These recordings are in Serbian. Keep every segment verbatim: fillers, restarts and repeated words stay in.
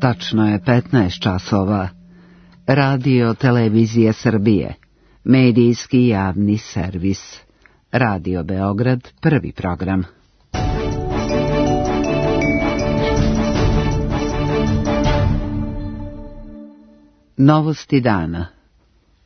Tačno je petnaest časova. Radio Televizije Srbije. Medijski javni servis. Radio Beograd, prvi program. Novosti dana.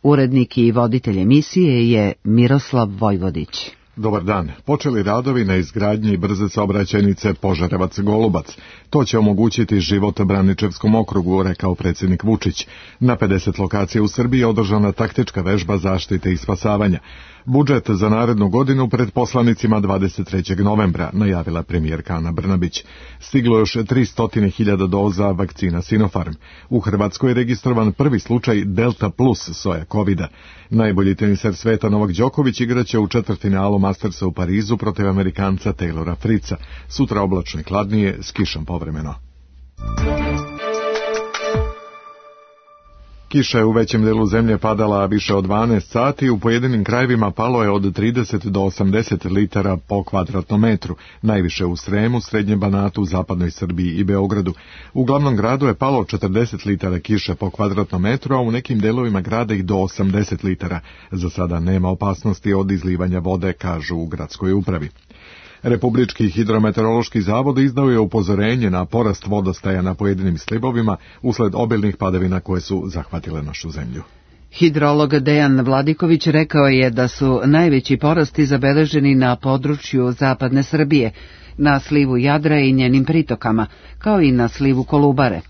Urednik i voditelj emisije je Miroslav Vojvodić. Dobar dan. Počeli radovi na izgradnji brze saobraćajnice Požarevac-Golubac. To će omogućiti život Braničevskom okrugu, rekao predsjednik Vučić. Na pedeset lokacija u Srbiji je održana taktička vežba zaštite i spasavanja. Budžet za narednu godinu pred poslanicima dvadeset trećeg novembra, najavila premijerka Ana Brnabić. Stiglo još tristo hiljada doza vakcina Sinopharm. U Hrvatskoj je registrovan prvi slučaj Delta plus soja kovida. Najbolji teniser sveta Novak Đoković igraće u četvrtfinalu Mastersa u Parizu protiv Amerikanca Taylora Fritza. Sutra oblačno i hladnije, s kišom povremeno. Kiša je u većem delu zemlje padala više od dvanaest sati, u pojedinim krajevima palo je od trideset do osamdeset litara po kvadratnom metru, najviše u Sremu, Srednjem Banatu, Zapadnoj Srbiji i Beogradu. U glavnom gradu je palo četrdeset litara kiše po kvadratnom metru, a u nekim delovima grada i do osamdeset litara. Za sada nema opasnosti od izlivanja vode, kažu u gradskoj upravi. Republički hidrometeorološki zavod izdao je upozorenje na porast vodostaja na pojedinim slivovima usled obilnih padavina koje su zahvatile našu zemlju. Hidrolog Dejan Vladiković rekao je da su najveći porasti zabeleženi na području zapadne Srbije, na slivu Jadra i njenim pritokama, kao i na slivu Kolubare.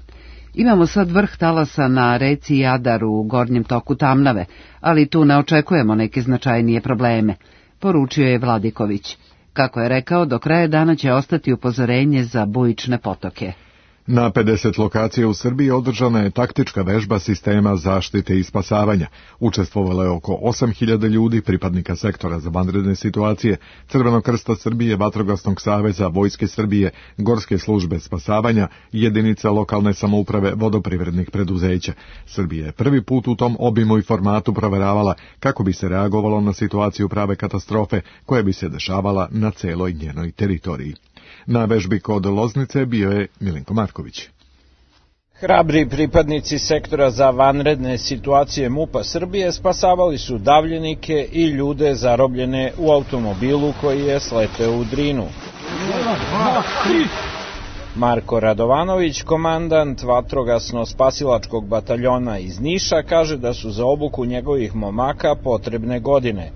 Imamo sad vrh talasa na reci Jadar u gornjem toku Tamnave, ali tu ne očekujemo neke značajnije probleme, poručio je Vladiković. Kako je rekao, do kraja dana će ostati upozorenje za bujične potoke. Na pedeset lokacija u Srbiji održana je taktička vežba sistema zaštite i spasavanja. Učestvovalo je oko osam hiljada ljudi, pripadnika sektora za vanredne situacije, Crvenog krsta Srbije, Vatrogasnog saveza, Vojske Srbije, Gorske službe spasavanja, jedinica lokalne samouprave, vodoprivrednih preduzeća. Srbija je prvi put u tom obimu i formatu proveravala kako bi se reagovalo na situaciju prave katastrofe koja bi se dešavala na celoj njenoj teritoriji. Na vežbi kod Loznice bio je Milenko Marković. Hrabri pripadnici sektora za vanredne situacije MUP-a Srbije spasavali su davljenike i ljude zarobljene u automobilu koji je sleteo u Drinu. Marko Radovanović, komandant vatrogasno-spasilačkog bataljona iz Niša, kaže da su za obuku njegovih momaka potrebne godine.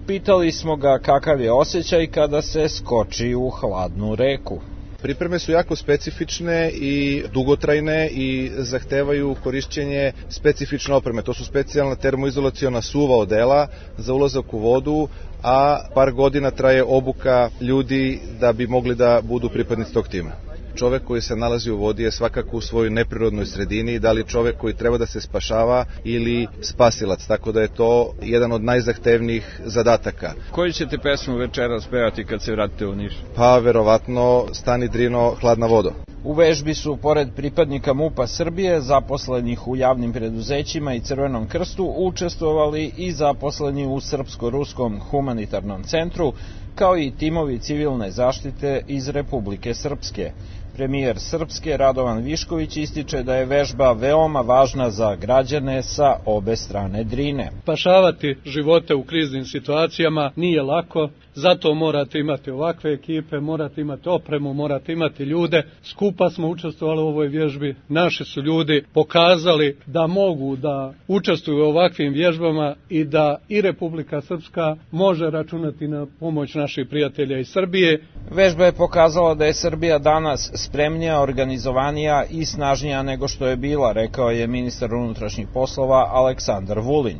Pitali smo ga kakav je osjećaj kada se skoči u hladnu reku. Pripreme su jako specifične i dugotrajne i zahtevaju korišćenje specifične opreme. To su specijalna termoizolaciona suva odela za ulazak u vodu, a par godina traje obuka ljudi da bi mogli da budu pripadnici tog tima. Čovek koji se nalazi u vodi je svakako u svojoj neprirodnoj sredini, da li čovek koji treba da se spašava ili spasilac, tako da je to jedan od najzahtevnijih zadataka. Koju ćete pesmu večeras pevati kad se vratite u Niš? Pa verovatno Stani Drino, hladna vodo. U vežbi su, pored pripadnika MUP-a Srbije, zaposlenih u javnim preduzećima i Crvenom krstu, učestvovali i zaposleni u Srpsko-ruskom humanitarnom centru, kao i timovi civilne zaštite iz Republike Srpske. Premijer Srpske Radovan Višković ističe da je vežba veoma važna za građane sa obe strane Drine. Spašavati živote u kriznim situacijama nije lako, zato morate imati ovakve ekipe, morate imati opremu, morate imati ljude. Skupa smo učestvovali u ovoj vježbi, naši su ljudi pokazali da mogu da učestvuju u ovakvim vježbama i da i Republika Srpska može računati na pomoć naših prijatelja iz Srbije. Vežba je pokazala da je Srbija danas spremnija, organizovanija i snažnija nego što je bila, rekao je ministar unutrašnjih poslova Aleksandar Vulin.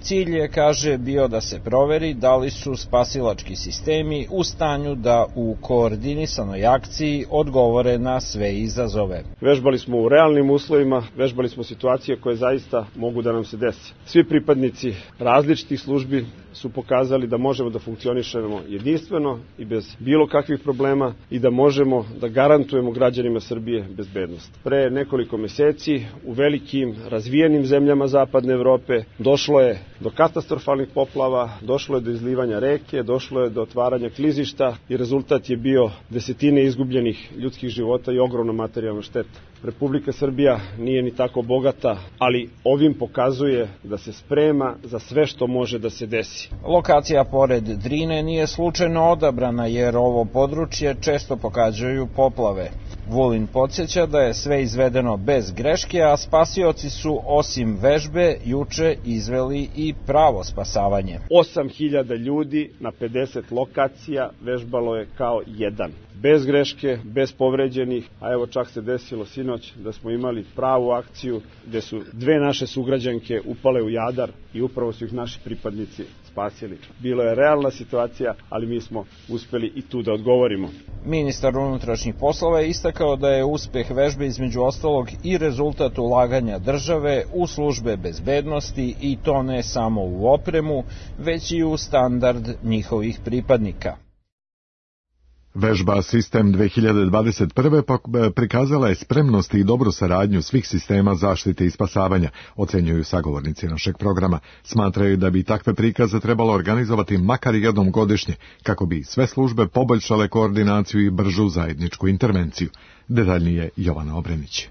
Cilj je, kaže, bio da se proveri da li su spasilački sistemi u stanju da u koordinisanoj akciji odgovore na sve izazove. Vežbali smo u realnim uslovima, vežbali smo situacije koje zaista mogu da nam se desi. Svi pripadnici različitih službi su pokazali da možemo da funkcionišemo jedinstveno i bez bilo kakvih problema i da možemo da garantujemo građanima Srbije bezbednost. Pre nekoliko meseci u velikim razvijenim zemljama zapadne Evrope došlo je do katastrofalnih poplava, došlo je do izlivanja reke, došlo je do otvaranja klizišta i rezultat je bio desetine izgubljenih ljudskih života i ogromna materijalna šteta. Republika Srbija nije ni tako bogata, ali ovim pokazuje da se sprema za sve što može da se desi. Lokacija pored Drine nije slučajno odabrana jer ovo područje često pogađaju poplave. Vulin podsjeća da je sve izvedeno bez greške, a spasioci su osim vežbe juče izveli i pravo spasavanje. osam hiljada ljudi na pedeset lokacija vežbalo je kao jedan. Bez greške, bez povređenih, a evo čak se desilo sinoć da smo imali pravu akciju gde su dve naše sugrađanke upale u Jadar i upravo su ih naši pripadnici spasili. Bilo je realna situacija, ali mi smo uspeli i tu da odgovorimo. Ministar unutrašnjih poslova je istakao da je uspeh vežbe između ostalog i rezultat ulaganja države u službe bezbednosti i to ne samo u opremu, već i u standard njihovih pripadnika. Vežba Sistem dve hiljade dvadeset prve prikazala je spremnost i dobru saradnju svih sistema zaštite i spasavanja, ocenjuju sagovornici našeg programa. Smatraju da bi takve prikaze trebalo organizovati makar jednom godišnje, kako bi sve službe poboljšale koordinaciju i bržu zajedničku intervenciju. Detaljnije Jovana Obrenić.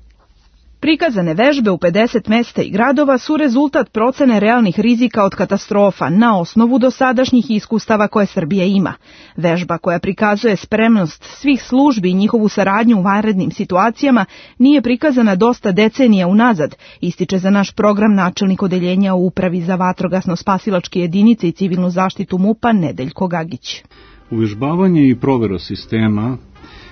Prikazane vežbe u pedeset mesta i gradova su rezultat procene realnih rizika od katastrofa na osnovu dosadašnjih iskustava koje Srbija ima. Vežba koja prikazuje spremnost svih službi i njihovu saradnju u vanrednim situacijama nije prikazana dosta decenija unazad, ističe za naš program načelnik odeljenja u Upravi za vatrogasno-spasilačke jedinice i civilnu zaštitu MUP-a Nedeljko Gagić. Uvežbavanje i provera sistema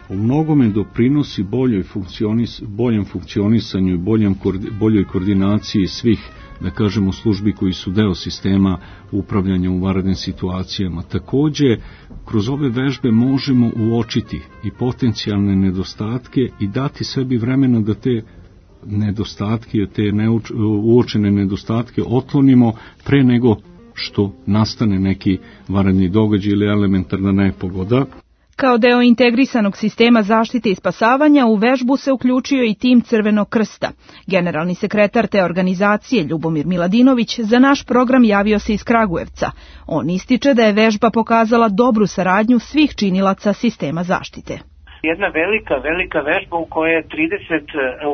u mnogome doprinosi boljoj funkcionis, boljem funkcionisanju i boljem, boljoj koordinaciji svih, da kažemo, službi koji su deo sistema upravljanja u vanrednim situacijama. Takođe, kroz ove vežbe možemo uočiti i potencijalne nedostatke i dati sebi vremena da te nedostatke, te neuč, uočene nedostatke otklonimo pre nego što nastane neki vanredni događaj ili elementarna nepogoda. Kao deo integrisanog sistema zaštite i spasavanja u vežbu se uključio i tim Crvenog krsta. Generalni sekretar te organizacije Ljubomir Miladinović za naš program javio se iz Kragujevca. On ističe da je vežba pokazala dobru saradnju svih činilaca sistema zaštite. Jedna velika, velika vežba u kojoj je trideset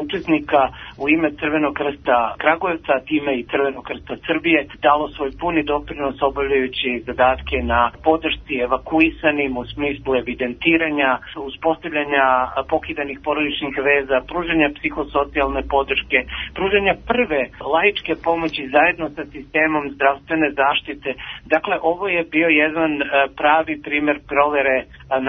učesnika u ime Crvenog krsta Kragujevca, time i Crvenog krsta Srbije, dalo svoj puni doprinos obavljajući zadatke na podršci evakuisanim u smislu evidentiranja, uspostavljanja pokidanih porodičnih veza, pružanja psihosocijalne podrške, pružanja prve laičke pomoći zajedno sa sistemom zdravstvene zaštite. Dakle, ovo je bio jedan pravi primer provere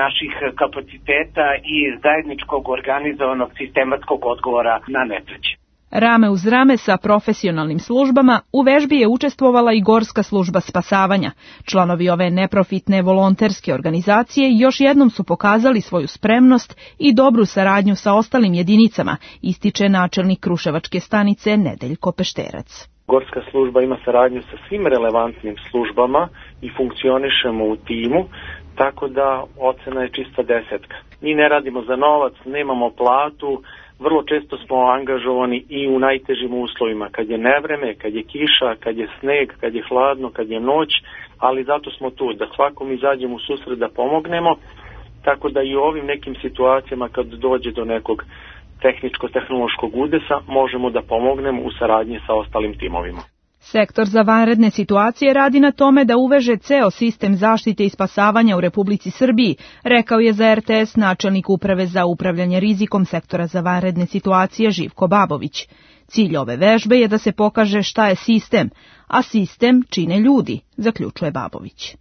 naših kapaciteta i zajedničkog organizovanog sistematskog odgovora na nesreće. Rame uz rame sa profesionalnim službama u vežbi je učestvovala i Gorska služba spasavanja. Članovi ove neprofitne volonterske organizacije još jednom su pokazali svoju spremnost i dobru saradnju sa ostalim jedinicama, ističe načelnik Kruševačke stanice Nedeljko Pešterac. Gorska služba ima saradnju sa svim relevantnim službama i funkcionišemo u timu, tako da ocena je čista desetka. Mi ne radimo za novac, nemamo platu, vrlo često smo angažovani i u najtežim uslovima, kad je nevreme, kad je kiša, kad je sneg, kad je hladno, kad je noć, ali zato smo tu, da svakom izađemo u susret da pomognemo, tako da i u ovim nekim situacijama kad dođe do nekog tehničko-tehnološkog udesa možemo da pomognemo u saradnji sa ostalim timovima. Sektor za vanredne situacije radi na tome da uveže ceo sistem zaštite i spasavanja u Republici Srbiji, rekao je za er te es načelnik Uprave za upravljanje rizikom sektora za vanredne situacije Živko Babović. Cilj ove vežbe je da se pokaže šta je sistem, a sistem čine ljudi, zaključuje Babović.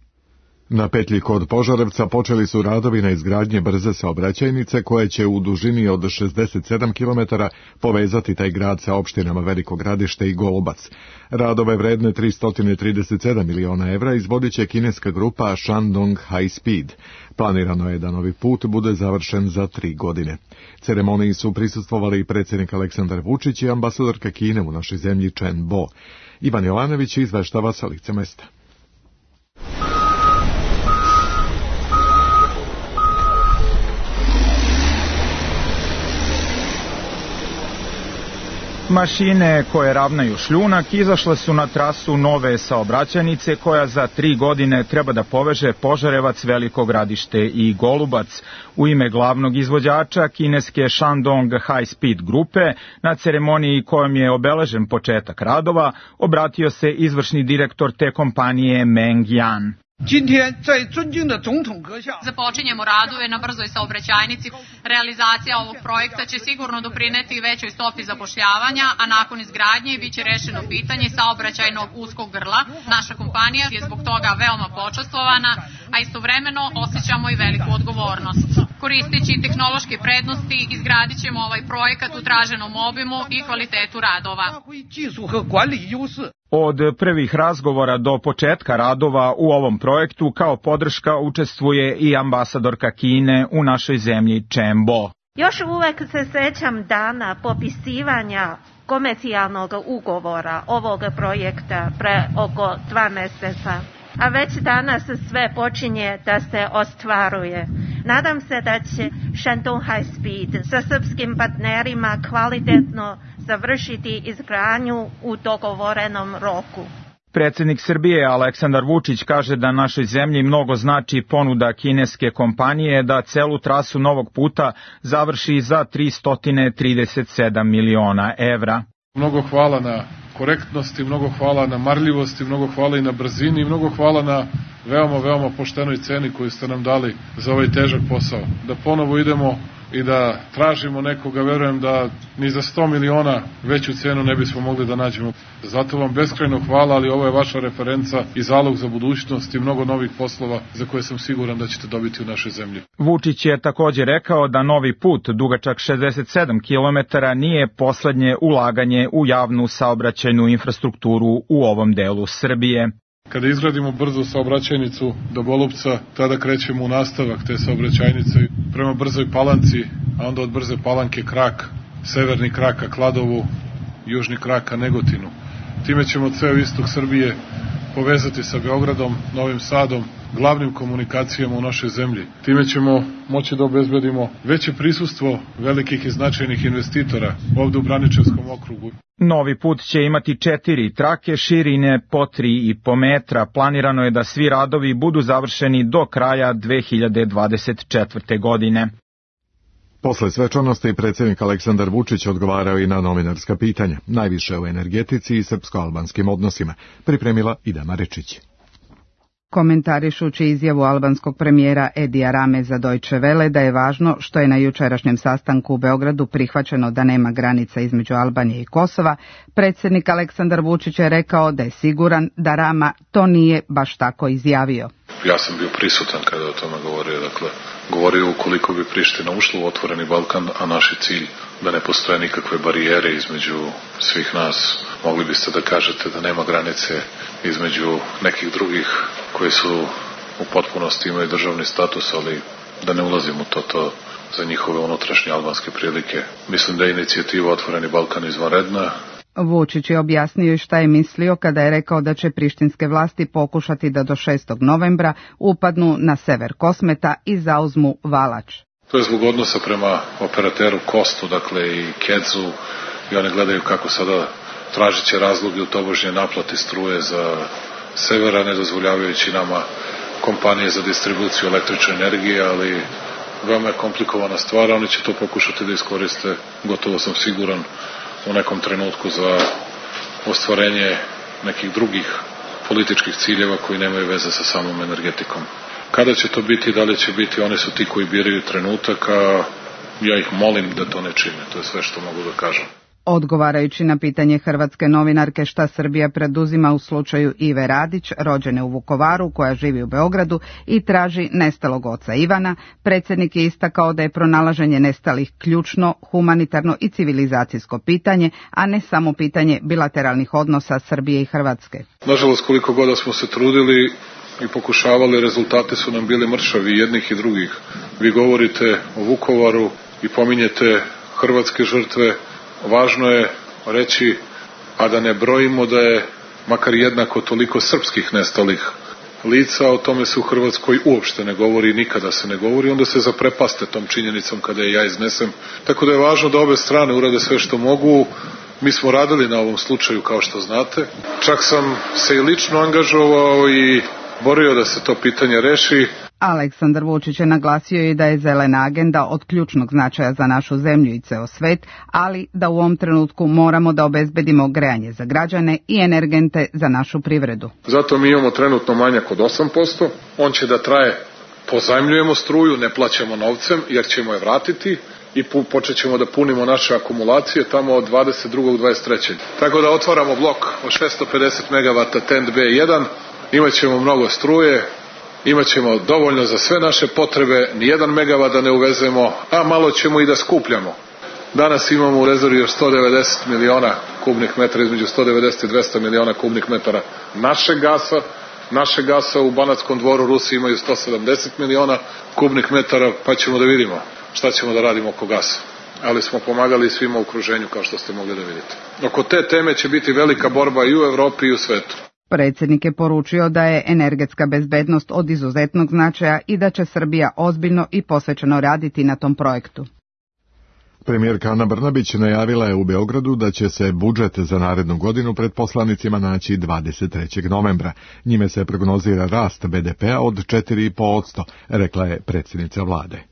Na petlji kod Požarevca počeli su radovi na izgradnje brze saobraćajnice koje će u dužini od šezdeset sedam kilometara povezati taj grad sa opštinama Veliko Gradište i Golubac. Radove vredne tristo trideset sedam miliona evra izvodit će kineska grupa Shandong High Speed. Planirano je da novi put bude završen za tri godine. Ceremoniji su prisustvovali i predsjednik Aleksandar Vučić i ambasadorka Kine u našoj zemlji Chen Bo. Ivan Jovanović izveštava sa lica mesta. Mašine koje ravnaju šljunak izašle su na trasu nove saobraćajnice koja za tri godine treba da poveže Požarevac, Veliko Gradište i Golubac. U ime glavnog izvođača kineske Shandong High Speed grupe, na ceremoniji kojom je obeležen početak radova, obratio se izvršni direktor te kompanije Meng Yan. Započinjemo radove na brzoj saobraćajnici. Realizacija ovog projekta će sigurno doprineti većoj stopi zapošljavanja, a nakon izgradnje bit će rešeno pitanje saobraćajnog uskog grla. Naša kompanija je zbog toga veoma počastvovana, a istovremeno osjećamo i veliku odgovornost. Koristeći tehnološke prednosti, izgradit ćemo ovaj projekat u traženom obimu i kvalitetu radova. Od prvih razgovora do početka radova u ovom projektu kao podrška učestvuje i ambasadorka Kine u našoj zemlji Chen Bo. Još uvek se sećam dana popisivanja komercijalnog ugovora ovog projekta pre oko dva meseca. A već danas sve počinje da se ostvaruje. Nadam se da će Shandong High Speed sa srpskim partnerima kvalitetno završiti izgradnju u dogovorenom roku. Predsjednik Srbije Aleksandar Vučić kaže da našoj zemlji mnogo znači ponuda kineske kompanije da celu trasu novog puta završi za tristo trideset sedam miliona evra. Mnogo hvala na korektnosti, mnogo hvala na marljivosti, mnogo hvala i na brzini, mnogo hvala na veoma, veoma poštenoj ceni koju ste nam dali za ovaj težak posao. Da ponovo idemo i da tražimo nekoga, verujem da ni za sto miliona veću cenu ne bismo mogli da nađemo. Zato vam beskrajno hvala, ali ovo je vaša referenca i zalog za budućnost i mnogo novih poslova za koje sam siguran da ćete dobiti u našoj zemlji. Vučić je također rekao da novi put, dugačak šezdeset sedam kilometara, nije poslednje ulaganje u javnu saobraćajnu infrastrukturu u ovom delu Srbije. Kada izgradimo brzu saobraćajnicu do Golubca, tada krećemo u nastavak te saobraćajnice prema Brzoj Palanci, a onda od Brze Palanke krak, severni krak ka Kladovu, južni krak ka Negotinu. Time ćemo ceo istok Srbije povezati sa Beogradom, Novim Sadom, glavnim komunikacijama u našoj zemlji. Time ćemo moći da obezbedimo veće prisustvo velikih i značajnih investitora ovde u Braničevskom okrugu. Novi put će imati četiri trake širine po tri i po metra. Planirano je da svi radovi budu završeni do kraja dve hiljade dvadeset četvrte. godine. Posle svečanosti predsjednik Aleksandar Vučić odgovarao i na novinarska pitanja, najviše o energetici i srpsko-albanskim odnosima, pripremila Ida Marečić. Komentarišući izjavu albanskog premijera Edija Rame za Deutsche Welle da je važno što je na jučerašnjem sastanku u Beogradu prihvaćeno da nema granica između Albanije i Kosova, predsjednik Aleksandar Vučić je rekao da je siguran da Rama to nije baš tako izjavio. Ja sam bio prisutan kada o tome govorio, dakle, govorio ukoliko bi Priština ušla u otvoreni Balkan, a naš je cilj da ne postoje nikakve barijere između svih nas. Mogli biste da kažete da nema granice između nekih drugih koji su u potpunosti imaju državni status, ali da ne ulazim u to, to za njihove unutrašnje albanske prilike. Mislim da je inicijativa Otvoreni Balkan izvanredna. Vučić je objasnio i šta je mislio kada je rekao da će prištinske vlasti pokušati da do šestog novembra upadnu na sever Kosmeta i zauzmu Valač. To je zbog odnosa prema operateru Kostu, dakle i Kedzu, i oni gledaju kako sada tražit će razloge u tobožnje naplati struje za severa, ne dozvoljavajući nama kompanije za distribuciju električne energije, ali veoma je komplikovana stvar, oni će to pokušati da iskoriste, gotovo sam siguran, u nekom trenutku za ostvarenje nekih drugih političkih ciljeva koji nemaju veze sa samom energetikom. Kada će to biti, da li će biti, oni su ti koji biraju trenutak, a ja ih molim da to ne čine, to je sve što mogu da kažem. Odgovarajući na pitanje hrvatske novinarke šta Srbija preduzima u slučaju Ive Radić, rođene u Vukovaru, koja živi u Beogradu i traži nestalog oca Ivana, predsjednik je istakao da je pronalaženje nestalih ključno, humanitarno i civilizacijsko pitanje, a ne samo pitanje bilateralnih odnosa Srbije i Hrvatske. Nažalost, koliko god smo se trudili i pokušavali, rezultati su nam bili mršavi jednih i drugih. Vi govorite o Vukovaru i pominjete hrvatske žrtve. Važno je reći, a da ne brojimo da je makar jednako toliko srpskih nestalih lica, o tome se u Hrvatskoj uopšte ne govori, nikada se ne govori, onda se zaprepaste tom činjenicom kada je ja iznesem. Tako da je važno da obe strane urade sve što mogu. Mi smo radili na ovom slučaju, kao što znate. Čak sam se i lično angažovao i borio da se to pitanje reši. Aleksandar Vučić je naglasio i da je zelena agenda od ključnog značaja za našu zemlju i ceo svet, ali da u ovom trenutku moramo da obezbedimo grejanje za građane i energente za našu privredu. Zato mi imamo trenutno manjak od osam posto, on će da traje, pozajmljujemo struju, ne plaćamo novcem jer ćemo je vratiti i počet ćemo da punimo naše akumulacije tamo od dvadeset drugog dvadeset trećeg Tako da otvaramo blok od šessto pedeset megavata T E N T B jedan, imat ćemo mnogo struje, imaćemo dovoljno za sve naše potrebe, nijedan megavat da ne uvezemo, a malo ćemo i da skupljamo. Danas imamo u rezervi još sto devedeset miliona kubnih metara, između sto devedeset i dvesta miliona kubnih metara našeg gasa. Naše gasa u Banatskom Dvoru Rusi imaju sto sedamdeset miliona kubnih metara, pa ćemo da vidimo šta ćemo da radimo oko gasa. Ali smo pomagali svima u okruženju, kao što ste mogli da vidite. Oko te teme će biti velika borba i u Evropi i u svetu. Predsjednik je poručio da je energetska bezbednost od izuzetnog značaja i da će Srbija ozbiljno i posvećeno raditi na tom projektu. Premijerka Ana Brnabić najavila je u Beogradu da će se budžet za narednu godinu pred poslanicima naći dvadeset trećeg novembra. Njime se prognozira rast B D P-a od četiri zarez pet posto, rekla je predsjednica vlade.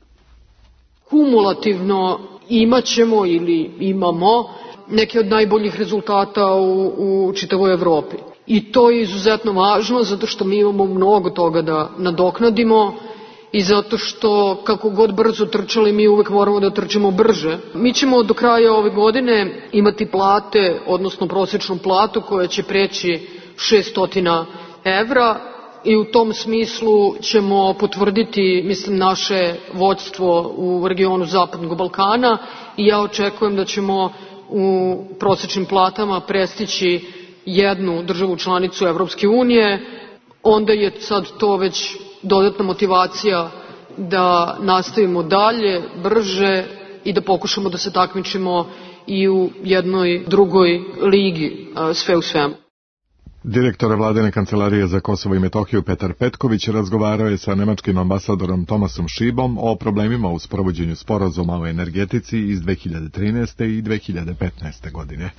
Kumulativno imaćemo ili imamo neke od najboljih rezultata u, u čitavoj Evropi. I to je izuzetno važno zato što mi imamo mnogo toga da nadoknadimo i zato što kako god brzo trčali mi uvek moramo da trčimo brže. Mi ćemo do kraja ove godine imati plate, odnosno prosječnu platu koja će preći šesto evra i u tom smislu ćemo potvrditi, mislim, naše vođstvo u regionu Zapadnog Balkana i ja očekujem da ćemo u prosječnim platama prestići jednu državu članicu Evropske unije, onda je sad to već dodatna motivacija da nastavimo dalje, brže i da pokušamo da se takmičimo i u jednoj drugoj ligi, sve u svemu. Direktor vladine kancelarije za Kosovo i Metohiju Petar Petković razgovarao je sa nemačkim ambasadorom Tomasom Šibom o problemima u sprovođenju sporazuma o energetici iz dve hiljade trinaeste i dve hiljade petnaeste godine.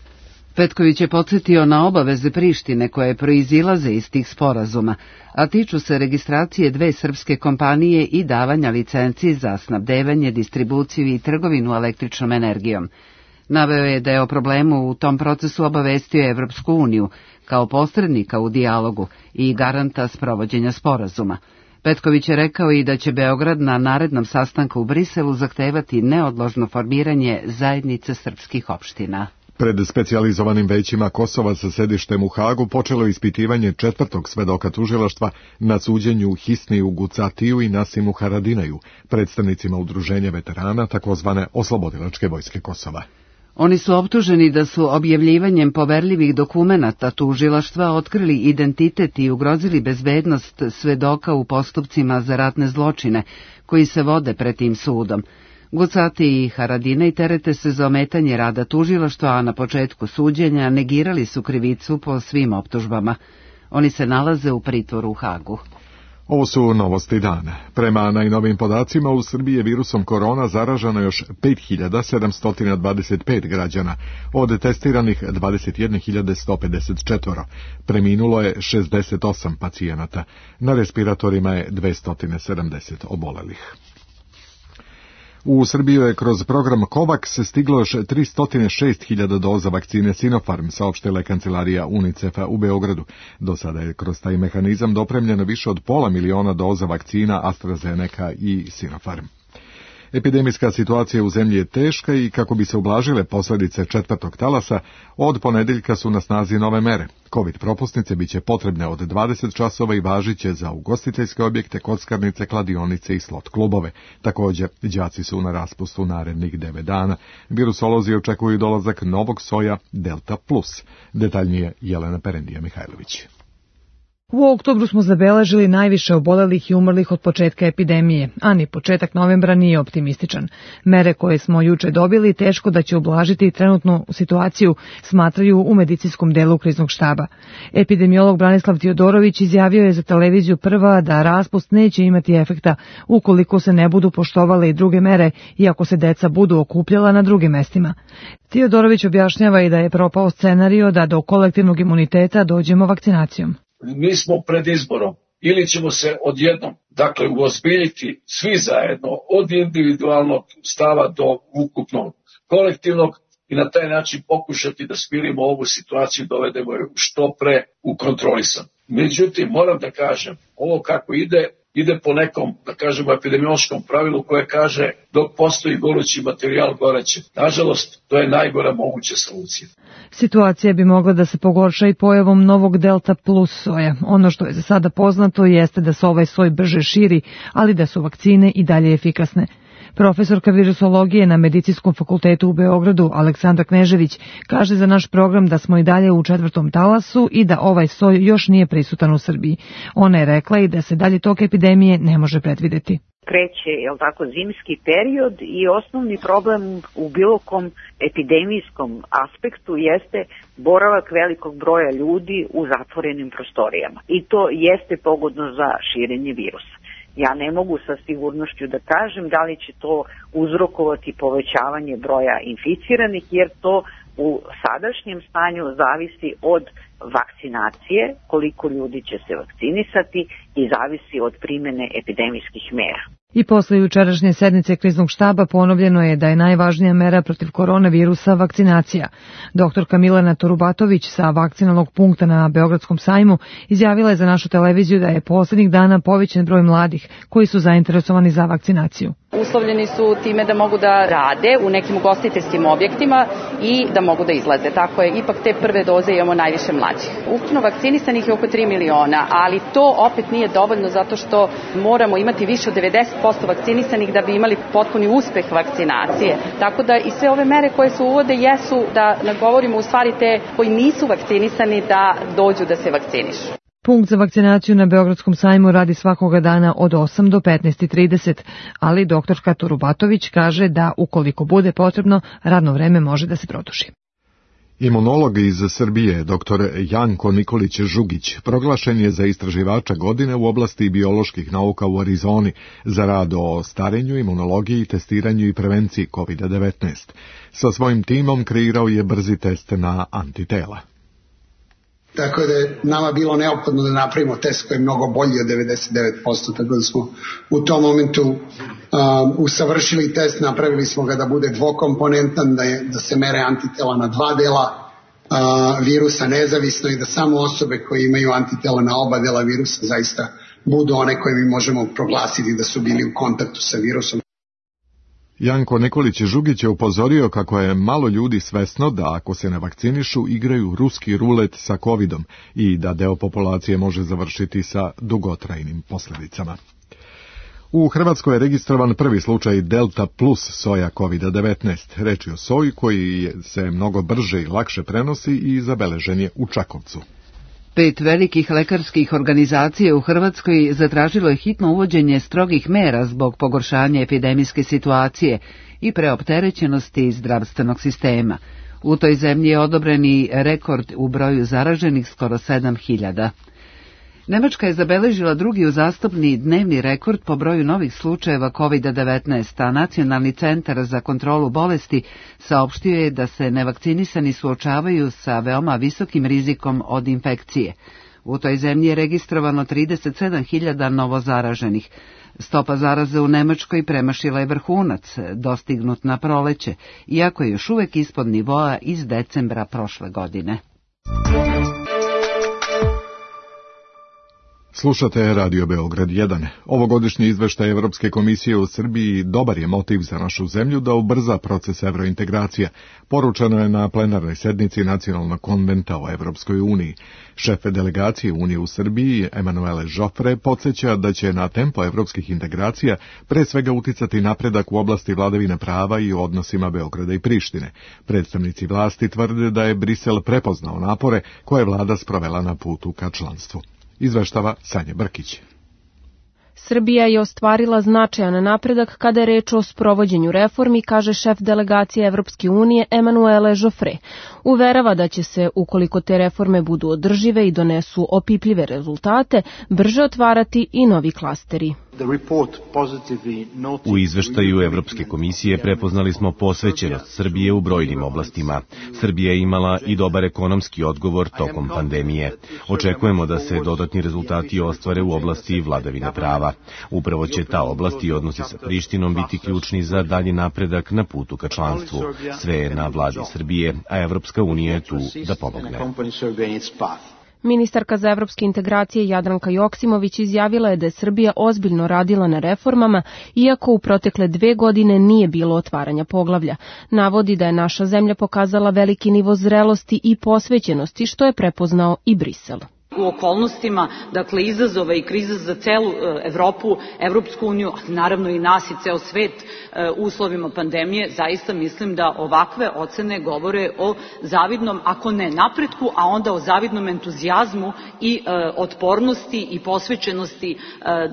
Petković je podsjetio na obaveze Prištine koje proizilaze iz tih sporazuma, a tiču se registracije dve srpske kompanije i davanja licenci za snabdevanje, distribuciju i trgovinu električnom energijom. Naveo je da je o problemu u tom procesu obavestio Evropsku uniju kao posrednika u dijalogu i garanta sprovođenja sporazuma. Petković je rekao i da će Beograd na narednom sastanku u Briselu zahtevati neodložno formiranje zajednice srpskih opština. Pred specijalizovanim većima Kosova sa sedištem u Hagu počelo ispitivanje četvrtog svedoka tužilaštva na suđenju Hisniju Gucatiju i Nasimu Haradinaju, predstavnicima udruženja veterana takozvane Oslobodilačke vojske Kosova. Oni su optuženi da su objavljivanjem poverljivih dokumenata tužilaštva otkrili identitet i ugrozili bezbednost svedoka u postupcima za ratne zločine koji se vode pred tim sudom. Gucati i Haradinaj terete se za ometanje rada tužilaštva, a na početku suđenja negirali su krivicu po svim optužbama. Oni se nalaze u pritvoru u Hagu. Ovo su novosti dana. Prema najnovijim podacima u Srbiji je virusom korona zaraženo još pet hiljada sedamsto dvadeset pet građana, od testiranih dvadeset jedne hiljade sto pedeset četiri. Preminulo je šezdeset osam pacijenata. Na respiratorima je dvesta sedamdeset obolelih. U Srbiju je kroz program COVAX stiglo još tristo šest hiljada doza vakcine Sinopharm, saopštila je kancelarija UNICEF-a u Beogradu. Do sada je kroz taj mehanizam dopremljeno više od pola miliona doza vakcina AstraZeneca i Sinopharm. Epidemijska situacija u zemlji je teška i kako bi se ublažile posljedice četvrtog talasa, od ponedeljka su na snazi nove mere. Covid propusnice biće potrebne od dvadeset časova i važiće za ugostiteljske objekte, kockarnice, kladionice i slot klubove. Također, đaci su na raspustu narednih devet dana. Virusolozi očekuju dolazak novog soja Delta Plus. Detaljnije Jelena Perendija Mihajlović. U oktobru smo zabeležili najviše obolelih i umrlih od početka epidemije, a ni početak novembra nije optimističan. Mere koje smo juče dobili teško da će ublažiti trenutnu situaciju, smatraju u medicinskom delu kriznog štaba. Epidemiolog Branislav Tiodorović izjavio je za televiziju Prva da raspust neće imati efekta ukoliko se ne budu poštovale i druge mere i ako se deca budu okupljala na drugim mestima. Tiodorović objašnjava i da je propao scenario da do kolektivnog imuniteta dođemo vakcinacijom. Mi smo pred izborom, ili ćemo se odjednom, dakle, uozbiljiti svi zajedno, od individualnog stava do ukupnog kolektivnog i na taj način pokušati da smirimo ovu situaciju, dovedemo je što pre u kontrolisan. Međutim, moram da kažem, ovo kako ide, ide po nekom, da kažemo, epidemiološkom pravilu koje kaže dok postoji gorući materijal, goreće. Nažalost, to je najgora moguća solucija. Situacija bi mogla da se pogorša i pojavom novog Delta plus soja. Ono što je za sada poznato jeste da se ovaj soj brže širi, ali da su vakcine i dalje efikasne. Profesorka virusologije na Medicinskom fakultetu u Beogradu, Aleksandra Knežević, kaže za naš program da smo i dalje u četvrtom talasu i da ovaj soj još nije prisutan u Srbiji. Ona je rekla i da se dalje tok epidemije ne može predvideti. Kreće, je li tako, zimski period i osnovni problem u bilo kom epidemijskom aspektu jeste boravak velikog broja ljudi u zatvorenim prostorijama. I to jeste pogodno za širenje virusa. Ja ne mogu sa sigurnošću da kažem da li će to uzrokovati povećavanje broja inficiranih, jer to u sadašnjem stanju zavisi od vakcinacije, koliko ljudi će se vakcinisati i zavisi od primene epidemijskih mera. I posle jučerašnje sednice kriznog štaba ponovljeno je da je najvažnija mera protiv koronavirusa vakcinacija. Doktorka Milena Torubatović sa vakcinalnog punkta na Beogradskom sajmu izjavila je za našu televiziju da je poslednjih dana povećan broj mladih koji su zainteresovani za vakcinaciju. Uslovljeni su time da mogu da rade u nekim ugostiteljskim objektima i da mogu da izlaze. Tako je, ipak te prve doze imamo najviše mlađih. Ukupno vakcinisanih je oko tri miliona, ali to opet nije dovoljno zato što moramo imati više od devedeset posto vakcinisanih da bi imali potpuni uspeh vakcinacije. Tako da i sve ove mere koje se uvode jesu da nagovorimo u stvari te koji nisu vakcinisani da dođu da se vakcinišu. Punkt za vakcinaciju na Beogradskom sajmu radi svakoga dana od osam do petnaest i trideset, ali doktorka Torubatović kaže da ukoliko bude potrebno, radno vreme može da se produži. Imunolog iz Srbije, doktor Janko Nikolić Žugić, proglašen je za istraživača godine u oblasti bioloških nauka u Arizoni za rad o starenju, imunologiji, testiranju i prevenciji kovid devetnaest. Sa svojim timom kreirao je brzi test na antitela. Tako da je nama bilo neophodno da napravimo test koji je mnogo bolji od devedeset devet posto, tako da smo u tom momentu uh, usavršili test, napravili smo ga da bude dvokomponentan, da, je, da se mere antitela na dva dela uh, virusa nezavisno i da samo osobe koje imaju antitela na oba dela virusa zaista budu one koje mi možemo proglasiti da su bili u kontaktu sa virusom. Janko Nikolić Žugić je upozorio kako je malo ljudi svesno da ako se ne vakcinišu igraju ruski rulet sa covidom i da deo populacije može završiti sa dugotrajnim posljedicama. U Hrvatskoj je registrovan prvi slučaj Delta plus soja kovid devetnaest. Reč je o soji koji se mnogo brže i lakše prenosi i zabeležen je u Čakovcu. Pet velikih lekarskih organizacija u Hrvatskoj zatražilo je hitno uvođenje strogih mera zbog pogoršanja epidemijske situacije i preopterećenosti zdravstvenog sistema. U toj zemlji je odobren i rekord u broju zaraženih, skoro sedam hiljada. Nemačka je zabeležila drugi uzastopni dnevni rekord po broju novih slučajeva kovid devetnaest, a Nacionalni centar za kontrolu bolesti saopštio je da se nevakcinisani suočavaju sa veoma visokim rizikom od infekcije. U toj zemlji je registrovano trideset sedam hiljada novozaraženih. Stopa zaraze u Nemačkoj premašila je vrhunac, dostignut na proleće, iako je još uvek ispod nivoa iz decembra prošle godine. Slušate Radio Beograd jedan. Ovogodišnji izveštaj Evropske komisije u Srbiji dobar je motiv za našu zemlju da ubrza proces evrointegracija. Poručeno je na plenarnoj sednici Nacionalnog konventa o Evropskoj uniji. Šef delegacije Unije u Srbiji, Emanuele Žofre, podsjeća da će na tempo evropskih integracija pre svega uticati napredak u oblasti vladavine prava i u odnosima Beograda i Prištine. Predstavnici vlasti tvrde da je Brisel prepoznao napore koje je vlada sprovela na putu ka članstvu. izveštava Sanja Brkić. Srbija je ostvarila značajan napredak kada je reč o sprovođenju reformi, kaže šef delegacije Evropske unije Emanuele Joffre. Uverava da će se, ukoliko te reforme budu održive i donesu opipljive rezultate, brže otvarati i novi klasteri. U izveštaju Evropske komisije prepoznali smo posvećenost Srbije u brojnim oblastima. Srbija je imala i dobar ekonomski odgovor tokom pandemije. Očekujemo da se dodatni rezultati ostvare u oblasti vladavine prava. Upravo će ta oblast i odnosi sa Prištinom biti ključni za dalji napredak na putu ka članstvu. Sve je na vladi Srbije, a Evropska unija je tu da pomogne. Ministarka za evropske integracije Jadranka Joksimović izjavila je da je Srbija ozbiljno radila na reformama, iako u protekle dve godine nije bilo otvaranja poglavlja. Navodi da je naša zemlja pokazala veliki nivo zrelosti i posvećenosti, što je prepoznao i Brisel. U okolnostima, dakle, izazova i kriza za celu Evropu, Evropsku uniju, naravno i nas i ceo svet u uslovima pandemije, zaista mislim da ovakve ocene govore o zavidnom, ako ne napretku, a onda o zavidnom entuzijazmu i otpornosti i posvećenosti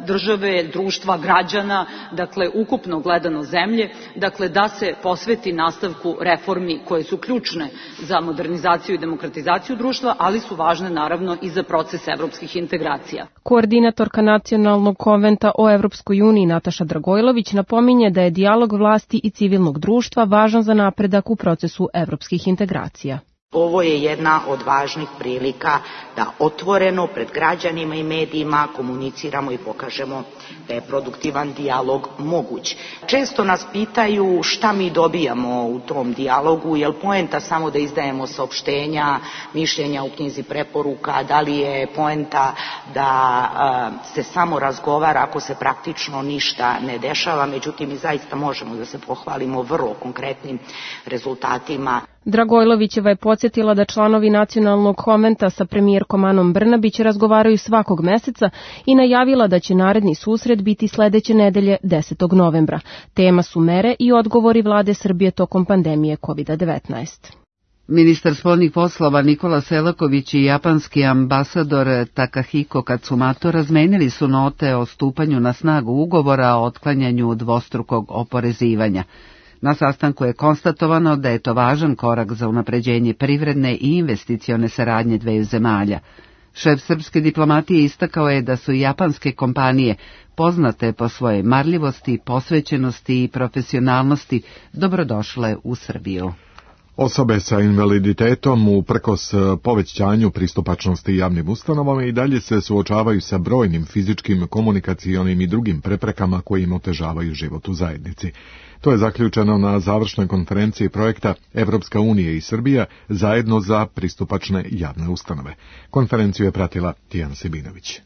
države, društva, građana, dakle, ukupno gledano zemlje, dakle, da se posveti nastavku reformi koje su ključne za modernizaciju i demokratizaciju društva, ali su važne naravno i za proces evropskih integracija. Koordinatorka Nacionalnog konventa o Evropskoj uniji Nataša Dragojlović napominje da je dijalog vlasti i civilnog društva važan za napredak u procesu evropskih integracija. Ovo je jedna od važnih prilika da otvoreno pred građanima i medijima komuniciramo i pokažemo da je produktivan dijalog moguć. Često nas pitaju šta mi dobijamo u tom dijalogu, je li poenta samo da izdajemo saopštenja, mišljenja u knjizi preporuka, da li je poenta da a, se samo razgovara ako se praktično ništa ne dešava, međutim mi zaista možemo da se pohvalimo vrlo konkretnim rezultatima. Dragojlovićeva je podsjetila da članovi Nacionalnog konventa sa premijerkom Anom Brnabić razgovaraju svakog meseca i najavila da će naredni susret biti sledeće nedelje desetog novembra. Tema su mere i odgovori vlade Srbije tokom pandemije kovid devetnaest. Ministar spoljnih poslova Nikola Selaković i japanski ambasador Takahiko Katsumato razmenili su note o stupanju na snagu ugovora o otklanjanju dvostrukog oporezivanja. Na sastanku je konstatovano da je to važan korak za unapređenje privredne i investicione saradnje dveju zemalja. Šef srpske diplomatije istakao je da su japanske kompanije, poznate po svojoj marljivosti, posvećenosti i profesionalnosti, dobrodošle u Srbiju. Osobe sa invaliditetom uprkos povećanju pristupačnosti javnim ustanovama i dalje se suočavaju sa brojnim fizičkim, komunikacionim i drugim preprekama koji im otežavaju život u zajednici. To je zaključeno na završnoj konferenciji projekta Evropska unija i Srbija zajedno za pristupačne javne ustanove. Konferenciju je pratila Tijana Sibinović.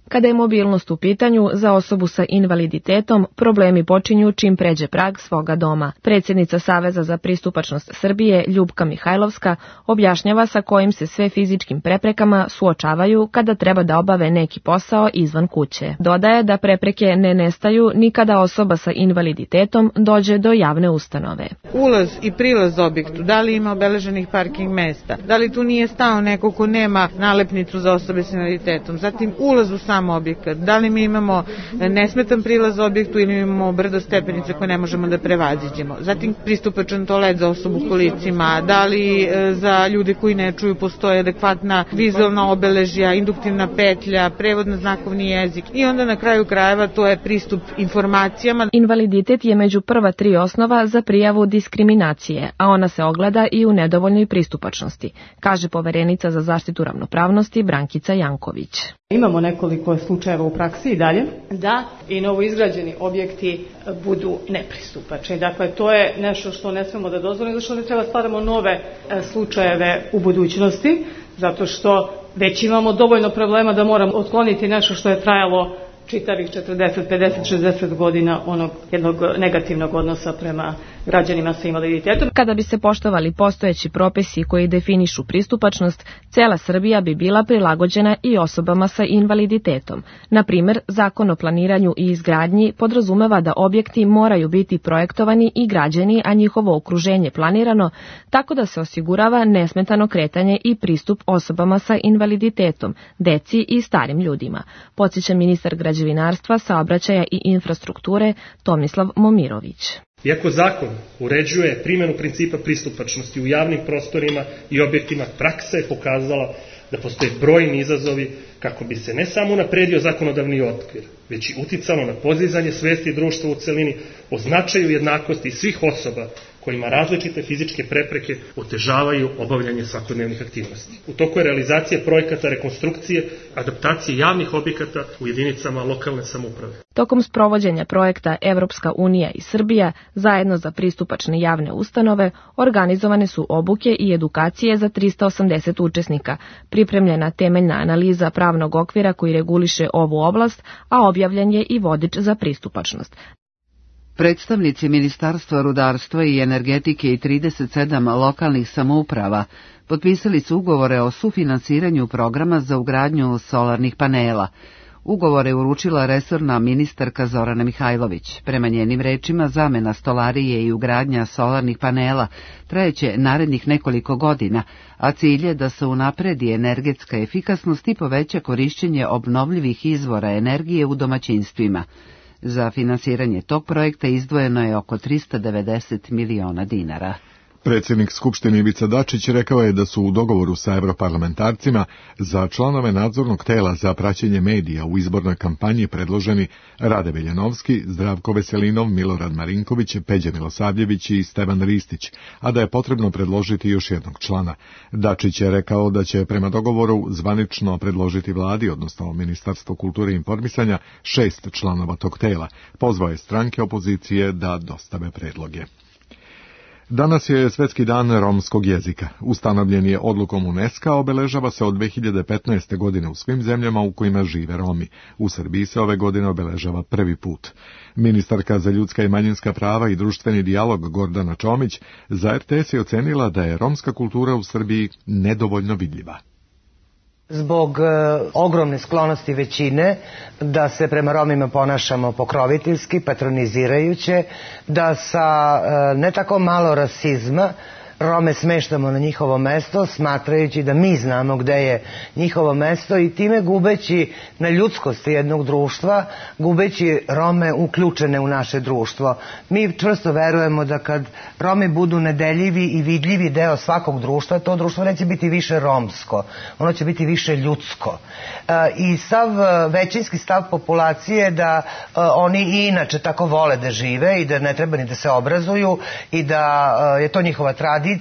Kada je mobilnost u pitanju, za osobu sa invaliditetom problemi počinju čim pređe prag svoga doma. Predsjednica Saveza za pristupačnost Srbije, Ljubka Mihajlovska, objašnjava sa kojim se sve fizičkim preprekama suočavaju kada treba da obave neki posao izvan kuće. Dodaje da prepreke ne nestaju ni kada osoba sa invaliditetom dođe do javne ustanove. Ulaz i prilaz objektu, da li ima obeleženih parking mesta, da li tu nije stao neko ko nema nalepnicu za osobe sa invaliditetom, zatim ulaz u sam objekat, da li mi imamo nesmetan prilaz objektu ili imamo brdo stepenice koje ne možemo da prevaziđemo. Zatim pristupačan toalet za osobu u kolicima, da li za ljude koji ne čuju postoje adekvatna vizualna obeležja, induktivna petlja, prevod na znakovni jezik i onda na kraju krajeva to je pristup informacijama. Invaliditet je među prva tri osnova za prijavu diskriminacije, a ona se ogleda i u nedovoljnoj pristupačnosti, kaže poverenica za zaštitu ravnopravnosti Brankica Janković. Imamo nekoliko slučajeva u praksi i dalje da i novoizgrađeni objekti budu nepristupačni. Dakle, to je nešto što ne smemo da dozvolimo, zato što ne treba stvaramo nove slučajeve u budućnosti, zato što već imamo dovoljno problema da moramo otkloniti nešto što je trajalo čitavih četrdeset, pedeset, šezdeset godina onog jednog negativnog odnosa prema građanima sa invaliditetom. Kada bi se poštovali postojeći propisi koji definišu pristupačnost, cela Srbija bi bila prilagođena i osobama sa invaliditetom. Na primer, Zakon o planiranju i izgradnji podrazumeva da objekti moraju biti projektovani i građeni, a njihovo okruženje planirano, tako da se osigurava nesmetano kretanje i pristup osobama sa invaliditetom, deci i starim ljudima, podsjeća ministar građevinarstva, saobraćaja i infrastrukture Tomislav Momirović. Iako zakon uređuje primjenu principa pristupačnosti u javnim prostorima i objektima, praksa je pokazala da postoje brojni izazovi kako bi se ne samo napredio zakonodavni okvir, već i uticalo na podizanje svesti društva u celini o značaju jednakosti svih osoba kojima različite fizičke prepreke otežavaju obavljanje svakodnevnih aktivnosti. U toku je realizacija projekata rekonstrukcije, adaptacije javnih objekata u jedinicama lokalne samouprave. Tokom sprovođenja projekta Evropska unija i Srbija zajedno za pristupačne javne ustanove organizovane su obuke i edukacije za trista osamdeset učesnika, pripremljena temeljna analiza pravnog okvira koji reguliše ovu oblast, a objavljen je i vodič za pristupačnost. Predstavnici Ministarstva rudarstva i energetike i trideset sedam lokalnih samouprava potpisali su ugovore o sufinansiranju programa za ugradnju solarnih panela. Ugovore je uručila resorna ministarka Zorana Mihajlović. Prema njenim rečima, zamena stolarije i ugradnja solarnih panela trajeće narednih nekoliko godina, a cilj je da se unapredi energetska efikasnost i poveća korišćenje obnovljivih izvora energije u domaćinstvima. Za finansiranje tog projekta izdvojeno je oko trista devedeset miliona dinara. Predsjednik Skupštine Ivica Dačić rekao je da su u dogovoru sa europarlamentarcima za članove nadzornog tela za praćenje medija u izbornoj kampanji predloženi Rade Veljanovski, Zdravko Veselinov, Milorad Marinković, Peđa Milosavljević i Stevan Ristić, a da je potrebno predložiti još jednog člana. Dačić je rekao da će prema dogovoru zvanično predložiti vladi, odnosno Ministarstvo kulture i informisanja, šest članova tog tela. Pozvao je stranke opozicije da dostave predloge. Danas je Svetski dan romskog jezika. Ustanovljen je odlukom UNESCO, obeležava se od dve hiljade petnaeste. godine u svim zemljama u kojima žive Romi. U Srbiji se ove godine obeležava prvi put. Ministarka za ljudska i manjinska prava i društveni dijalog Gordana Čomić za er te es je ocenila da je romska kultura u Srbiji nedovoljno vidljiva. Zbog e, ogromne sklonosti većine da se prema Romima ponašamo pokroviteljski, patronizirajuće, da sa e, ne tako malo rasizma Rome smeštamo na njihovo mesto, smatrajući da mi znamo gde je njihovo mesto i time gubeći na ljudskosti jednog društva, gubeći Rome uključene u naše društvo. Mi čvrsto verujemo da kad Romi budu nedeljivi i vidljivi deo svakog društva, to društvo neće biti više romsko, ono će biti više ljudsko. I sav većinski stav populacije da oni i inače tako vole da žive i da ne treba ni da se obrazuju i da je to njihova tradicija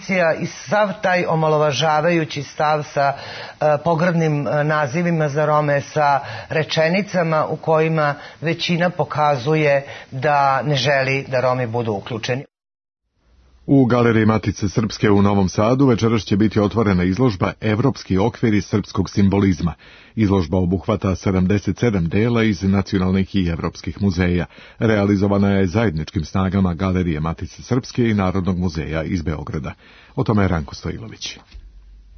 i sav taj omalovažavajući stav sa uh, pogrdnim uh, nazivima za Rome, sa rečenicama u kojima većina pokazuje da ne želi da Romi budu uključeni. U Galeriji Matice Srpske u Novom Sadu večeras će biti otvorena izložba Evropski okviri srpskog simbolizma. Izložba obuhvata sedamdeset sedam dela iz nacionalnih i evropskih muzeja. Realizovana je zajedničkim snagama Galerije Matice Srpske i Narodnog muzeja iz Beograda. O tome je Ranko Stojilović.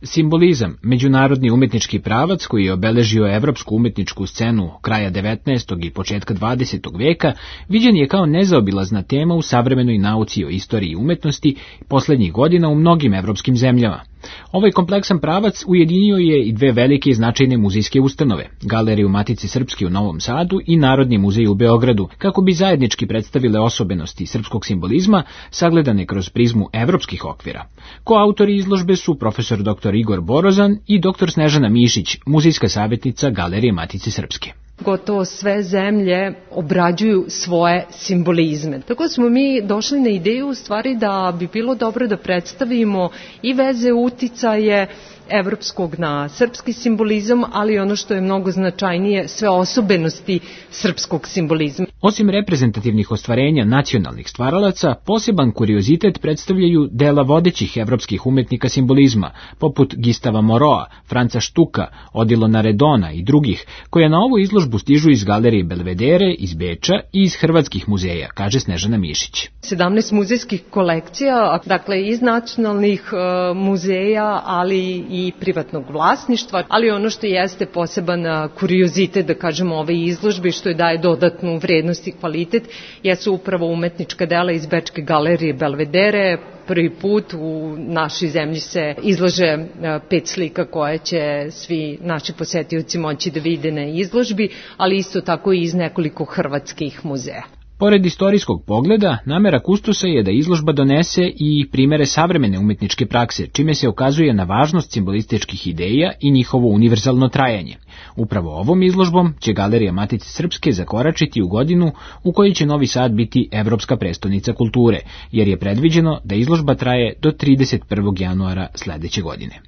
Simbolizam, međunarodni umetnički pravac koji je obeležio evropsku umetničku scenu kraja devetnaestog i početka dvadesetog veka, viđen je kao nezaobilazna tema u savremenoj nauci o istoriji umetnosti poslednjih godina u mnogim evropskim zemljama. Ovaj kompleksan pravac ujedinio je i dve velike i značajne muzejske ustanove, Galeriju Matice Srpske u Novom Sadu i Narodni muzej u Beogradu, kako bi zajednički predstavile osobenosti srpskog simbolizma sagledane kroz prizmu evropskih okvira. Koautori izložbe su profesor doktor Igor Borozan i doktor Snežana Mišić, muzejska savjetnica Galerije Matice Srpske. Gotovo sve zemlje obrađuju svoje simbolizme. Tako smo mi došli na ideju u stvari da bi bilo dobro da predstavimo i veze uticaje evropskog na srpski simbolizam, ali ono što je mnogo značajnije, sve osobenosti srpskog simbolizma. Osim reprezentativnih ostvarenja nacionalnih stvaralaca, poseban kuriozitet predstavljaju dela vodećih evropskih umetnika simbolizma, poput Gustava Moroa, Franca Štuka, Odilona Redona i drugih, koja na ovu izložbu stižu iz galerije Belvedere, iz Beča i iz hrvatskih muzeja, kaže Snežana Mišić. sedamnaest muzejskih kolekcija, dakle iz nacionalnih uh, muzeja, ali i privatnog vlasništva, ali ono što jeste poseban uh, kuriozitet, da kažemo, ove izložbe, što je daje dodatnu vrednost i kvalitet, jesu upravo umetnička dela iz Bečke galerije Belvedere. Prvi put u našoj zemlji se izlože pet slika koje će svi naši posetioci moći da vide na izložbi, ali isto tako i iz nekoliko hrvatskih muzeja. Pored istorijskog pogleda, namera kustosa je da izložba donese i primere savremene umetničke prakse, čime se ukazuje na važnost simbolističkih ideja i njihovo univerzalno trajanje. Upravo ovom izložbom će Galerija Matice Srpske zakoračiti u godinu u kojoj će Novi Sad biti evropska prestonica kulture, jer je predviđeno da izložba traje do trideset prvog januara sledeće godine.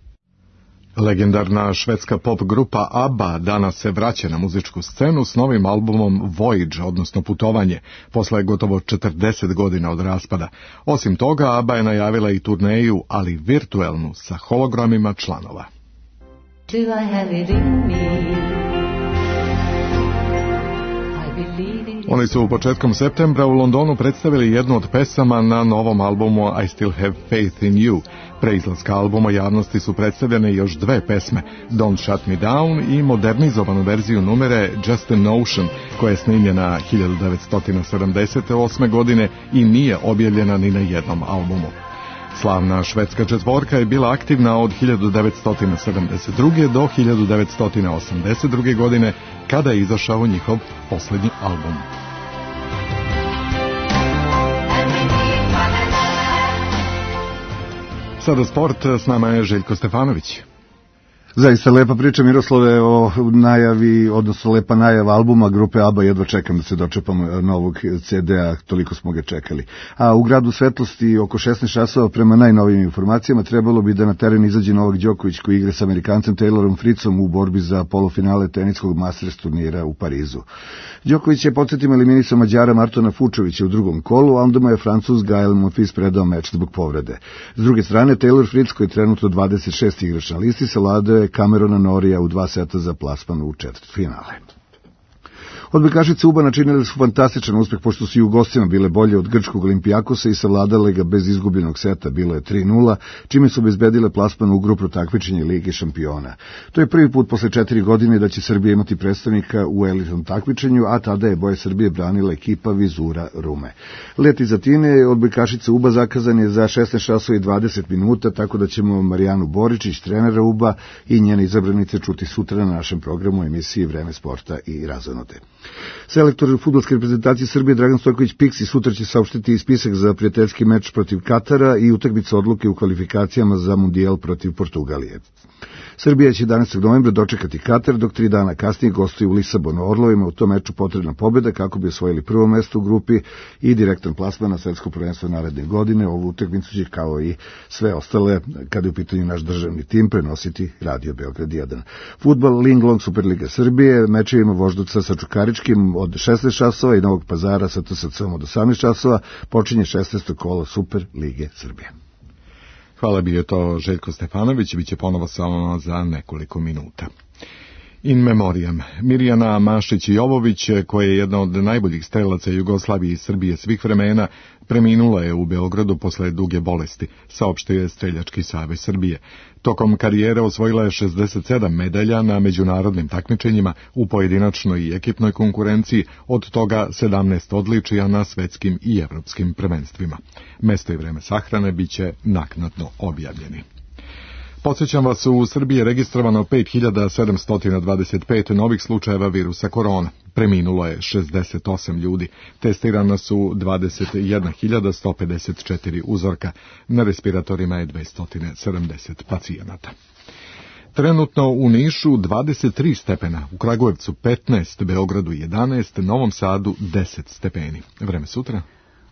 Legendarna švedska pop grupa ABBA danas se vraća na muzičku scenu s novim albumom Voyage, odnosno Putovanje, posle gotovo četrdeset godina od raspada. Osim toga, ABBA je najavila i turneju, ali virtuelnu, sa hologramima članova. Oni su u početkom septembra u Londonu predstavili jednu od pesama na novom albumu I Still Have Faith in You. Pre izlaska albuma javnosti su predstavljene još dve pesme, Don't Shut Me Down i modernizovanu verziju numere Just a Notion, koja je snimljena hiljadu devetsto sedamdeset osme. godine i nije objavljena ni na jednom albumu. Slavna švedska četvorka je bila aktivna od hiljadu devetsto sedamdeset druge. do hiljadu devetsto osamdeset druge. godine, kada je izašao njihov poslednji album. Sada sport, s nama je Željko Stefanović. Zaista lepa priča, Miroslave, o najavi, odnosno lepa najava albuma grupe ABBA, jedva čekam da se dočepam novog ce de a, toliko smo ga čekali. A u gradu Svetlosti oko šesnaest časova, prema najnovijim informacijama, trebalo bi da na teren izađe Novak Đoković, koji igra sa Amerikancem Taylorom Fritzom u borbi za polufinale teniskog Masters turnira u Parizu. Đoković je, podsjetimo, eliminisao Mađara Martona Fučovića u drugom kolu, a onda mu je Francuz Gael Monfils predao meč zbog povrede. S druge strane, Taylor Fritz, koji je trenutno dvadeset šest igrač na listi, savladao Camerona Norija u dva seta za plasman u četvrtfinale. Odbojkašice UBA načinile su fantastičan uspeh, pošto su i u gostima bile bolje od grčkog Olimpijakosa i savladale ga bez izgubljenog seta, bilo je tri nula, čime su obezbedile plasman u grupu takmičenja Lige šampiona. To je prvi put posle četiri godine da će Srbija imati predstavnika u elitnom takmičenju, a tada je boje Srbije branila ekipa Vizura Rume. Let iz Atine odbojkašice UBA zakazan je za šesnaest časova i dvadeset minuta, tako da ćemo Marijanu Boričić, trenera UBA, i njene izabranice čuti sutra na našem programu emisiji Vreme sporta i razonode. Selektor fudbalske reprezentacije Srbije Dragan Stojković Piksi sutra će saopštiti i spisak za prijateljski meč protiv Katara i utakmicu odluke u kvalifikacijama za Mundijal protiv Portugalije. Srbija će jedanaestog novembra dočekati Katar, dok tri dana kasnije gostuje u Lisabonu. Orlovima u tom meču potrebna pobjeda kako bi osvojili prvo mesto u grupi i direktan plasman na svetsko prvenstvo naredne godine. Ovu utakmicu će, kao i sve ostale, kada je u pitanju naš državni tim, prenositi Radio Beograd jedan. Fudbal Linglong Superliga Srbije, mečevima Voždovca sa Čukaričkim od šesnaest časova i Novog Pazara sa te es ce om od osamnaest časova počinje šesnaesto kolo Super Lige Srbije. Hvala, bio to Željko Stefanović, bit će ponovo samo za nekoliko minuta. In memoriam. Mirjana Mašić-Jovović, koja je jedna od najboljih strelaca Jugoslavije i Srbije svih vremena, preminula je u Beogradu posle duge bolesti, saopštio je Streljački savez Srbije. Tokom karijere osvojila je šezdeset sedam medalja na međunarodnim takmičenjima u pojedinačnoj i ekipnoj konkurenciji, od toga sedamnaest odličija na svetskim i evropskim prvenstvima. Mesto i vreme sahrane biće naknadno objavljeni. Podsjećam vas, u Srbiji je registrovano pet hiljada sedamsto dvadeset pet novih slučajeva virusa korona. Preminulo je šezdeset osam ljudi. Testirana su dvadeset jedna hiljada sto pedeset četiri uzorka. Na respiratorima je dvesta sedamdeset pacijenata. Trenutno u Nišu dvadeset tri stepena, u Kragujevcu petnaest, Beogradu jedanaest, Novom Sadu deset stepeni. Vreme sutra?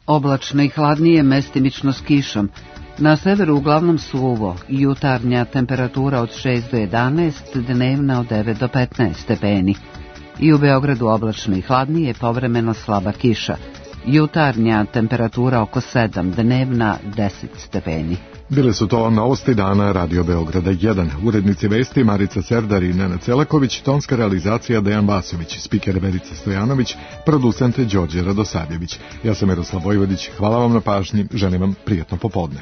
Oblačno i hladnije, mestimično s kišom. Na severu uglavnom suvo, jutarnja temperatura od šest do jedanaest, dnevna od devet do petnaest stepeni. i u Beogradu oblačno i hladnije, povremeno slaba kiša. Jutarnja temperatura oko sedam, dnevna deset stepeni. Bile su to novosti dana Radio Beograda jedan. Urednici vesti Marica Serdar i Nena Celaković, tonska realizacija Dejan Vasović, spiker Verica Stojanović, producent Đorđe Radosavljević. Ja sam Miroslav Vojvodić, hvala vam na pažnji, želim vam prijatno popodne.